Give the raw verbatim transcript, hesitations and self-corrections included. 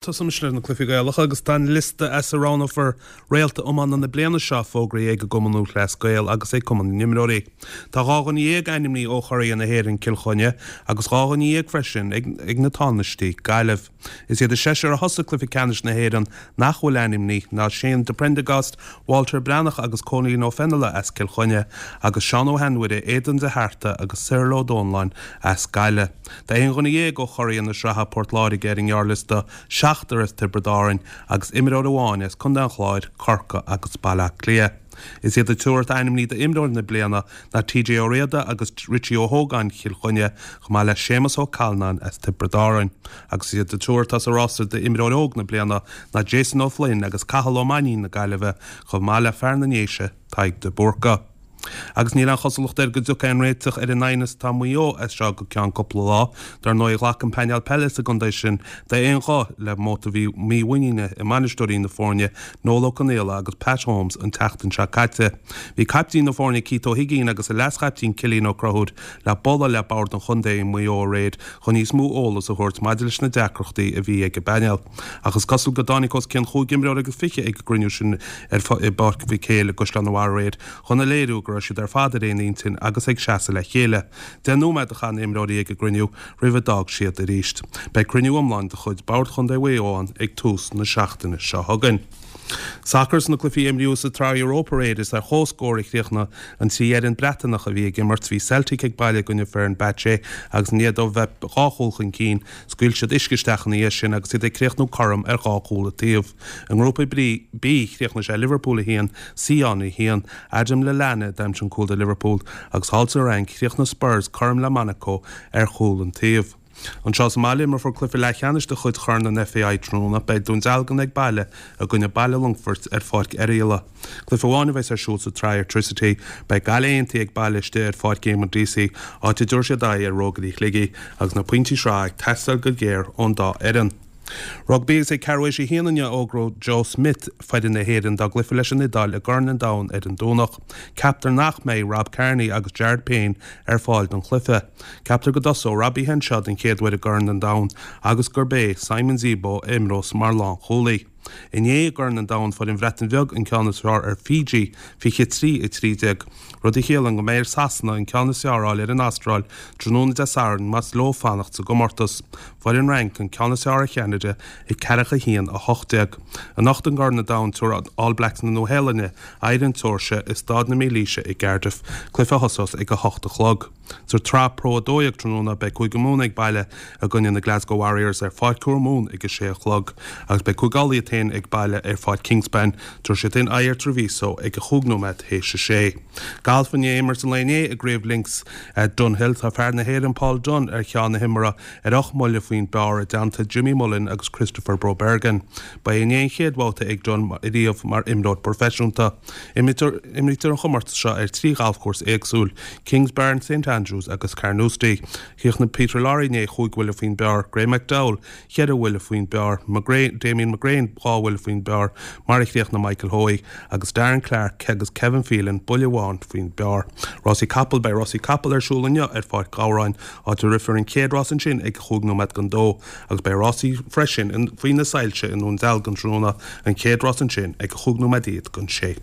Tosóimis leis na cluichí Gaelacha agus tá an liosta as a roghnófar réalta iomána na bliana seo fógraithe ag an gCumann Lúthchleas Gael agus ag Cumann na nImreoirí. Tá dhá dhuine dhéag ainmnithe ó churaidh na hÉireann Cill Chainnigh agus dhá dhuine dhéag freisin ag ag na Tánaistí, Gaillimh. Is iad an seisear a thosaigh cluiche ceannais na hÉireann nach bhfuil ainmnithe ná Shane de Prendergast, Walter Breathnach agus Cóilín Ó Feinneadha as Cill Chainnigh agus Seán Ó hAinmhire, Aidan de hArta agus Cyril Ó Dónalláin as Gaillimh. Tá aon dhuine dhéag ó churaidh na sraithe Port Láirge ar an ngearrliosta, seachtar as Tiobraid Árann agus imreoir amháin as Contae an Chláir, Corcaigh agus Baile Átha Cliath. Is iad an triúr atá ainmnithe d'imreoir na bliana ná TJ Ó Riada agus Richie Ó hÓgáin Chill Chainnigh chomh maith le Séamus Ó Callanáin as Tiobraid Árann. Agus is iad an triúr atá sa rása d'imreoir óg na bliana ná Jason Ó Floinn agus Cathal Ó Mainnín na Gaillimhe chomh maith le fear na nDéise Tadhg de Búrca. Agus níl aon chosúlacht air go dtiocfaidh aon réiteach ar an aighneas atá i Maigh Eo as seo go ceann cúpla lá. Dar ndóigh ghlac an painéal peile sa gcontae sin d'aon ghuth le móta mímhuiníne i mbainisteoirí na foirne Noel Ó Conaola agus Pat Holmes an tseachtain seo caite. Bhí caiptín na foirne Keith Ó hUiginn agus a leas-chaiptín Cillian Ó Conchúir le bualadh le bord an chontae i Maigh Eo aréir chun níos mó eolas a thabhairt maidir leis na deacrachtaí a bhí ag an bpainéal. Ach is cosúil go dtáinig os cionn chúig imreoir agus fiche ag an gcruinniú sin ar i bPáirc Mhic Éil i gCaisleán an Bharraigh aréir chun a léiriú go raibh siad ar fad ar aon intinn agus ag seasamh le chéile. Deich nóiméad a chaith na himreoirí ag an gcruinniú roimh a d'fhág siad arís. Beidh cruinniú iomlán de chuid Bhord Chontae Mhaigh Eo ann ag tús na seachtaine seo chugainn. Sacar sna cluichí a imríodh sa tsraith Europa aréir is ar comhscór a chríochnaigh an trí fhoireann Breatanach a bhí ag imirt bhí Celtic ag baile i gcoinne Fenerbahce agus i ndiaidh dóibh bheith dhá chúl chun cinn, scaoil siad uisce isteach ina dhiaidh sin agus iad ag críochnú cothrom ar dhá chúl an taobh. I ngrúpa B chríochnaigh sé Liverpool a haon, Sion a haon, Adam Lallana d'aimsigh an cúl do Liverpool agus thall sa Fhrainc chríochnaigh Spurs cothrom le Monaco ar chúl an taobh. Anseo sa mbaile imreofar cluiche leathcheannais de chuid Chorn an FAI tráthnóna beidh Dún Dealgan ag baile i gcoinne Baile Longfoirt ar Pháirc Oirialla. Cluiche amháin a bheas ar siúl sa tsraith Airtricity beidh Gaillimh Aontaithe ag baile istigh ar Pháirc Éamonn Deacy áit a dtabharfaidh siad aghaidh ar Rógairí Shligigh agus na pointí sraithe ag teastáil go géar ón dá fhoireann. Rugbaí agus ag ceathrú théis a haon inniu a fhógróidh Joe Schmidt foireann na hÉireann dá gcluiche leis an Iodáil i gCorn an Domhain ar an Domhnach. Ceaptar nach mbeidh Rob Kearney agus Jared Payne ar fáil don chluiche. Ceaptar go dtosóidh Robbie Henshaw den chéad uair i gCorn an Domhain agus gurb é Simon Zebo a imreos mar lánchúlaí. Inné i gCorn an Domhain fuair an Bhreatain Bheag an ceann is fearr ar Fiji fiche trí a trí déag, rud a chiallaíonn go mbeidh ar Sasana an ceann is fearr a fháil ar an Astráil tráthnóna Dé Sathairn más leo fanacht sa gcomórtas. Fuair an Fhrainc an ceann is fearr ar Cheanada ag ceathracha haon a hocht déag. Anocht i gCorn an Domhain tabharfaidh All Blacks na Nua-Shéalainne aghaidh ar an tSeoirsia i Staid na Mílaoise i gCardiff, cluiche a thosós ag a hocht a chlog. Sa tsraith Pro a dó dhéag tráthnóna beidh Cúige Mumhan ag baile i gcoinne na Glasgow Warriors ar Pháirc Thuar Mumhan ag a sé a chlog, agus beidh Cúige Uladh iad féin ag baile ar Pháirc Kingspan, tabharfaidh siad féin aghaidh ar Treviso ag a chúig nóiméad théis a sé. Galf i ndiaidh imirt an lae inné i gCraobh Links Dunhill tá fear na hÉireann Paul Dunne ar cheann na himeartha ar ocht mbuille faoin bpar i dteannta Jimmy Mullen agus Kristoffer Brobergen. Ba é inné an chéad bhabhta ag Dunne riamh mar imreoir proifisiúnta. Imrítear an chomórtas seo ar trí ghalfchúrsa éagsúil, Kingsbarn, St Andrews agus Carnoustie. Chríochnaigh Peter Lawrie inné chúig bhuille faoin bpar, Graeme McDowell ceithre bhuille faoin bpar, McGrain, Damien McGrain dhá bhuille faoin bpar, mar a chríochnaigh Michael Hoey agus Darren Clarke agus Kevin Phelan buille amháin faoin bpar. Rásaí capall beidh rásaí capall ar siúl inniu ar Pháirc Ghabhráin áit a rithfear an chéad rás ansin ag chúig nóiméad don dó agus beidh rásaí freisin faoi na soilse i nDún Dealgan tráthnóna an chéad rás ansin ag chúig nóiméad déag don sé.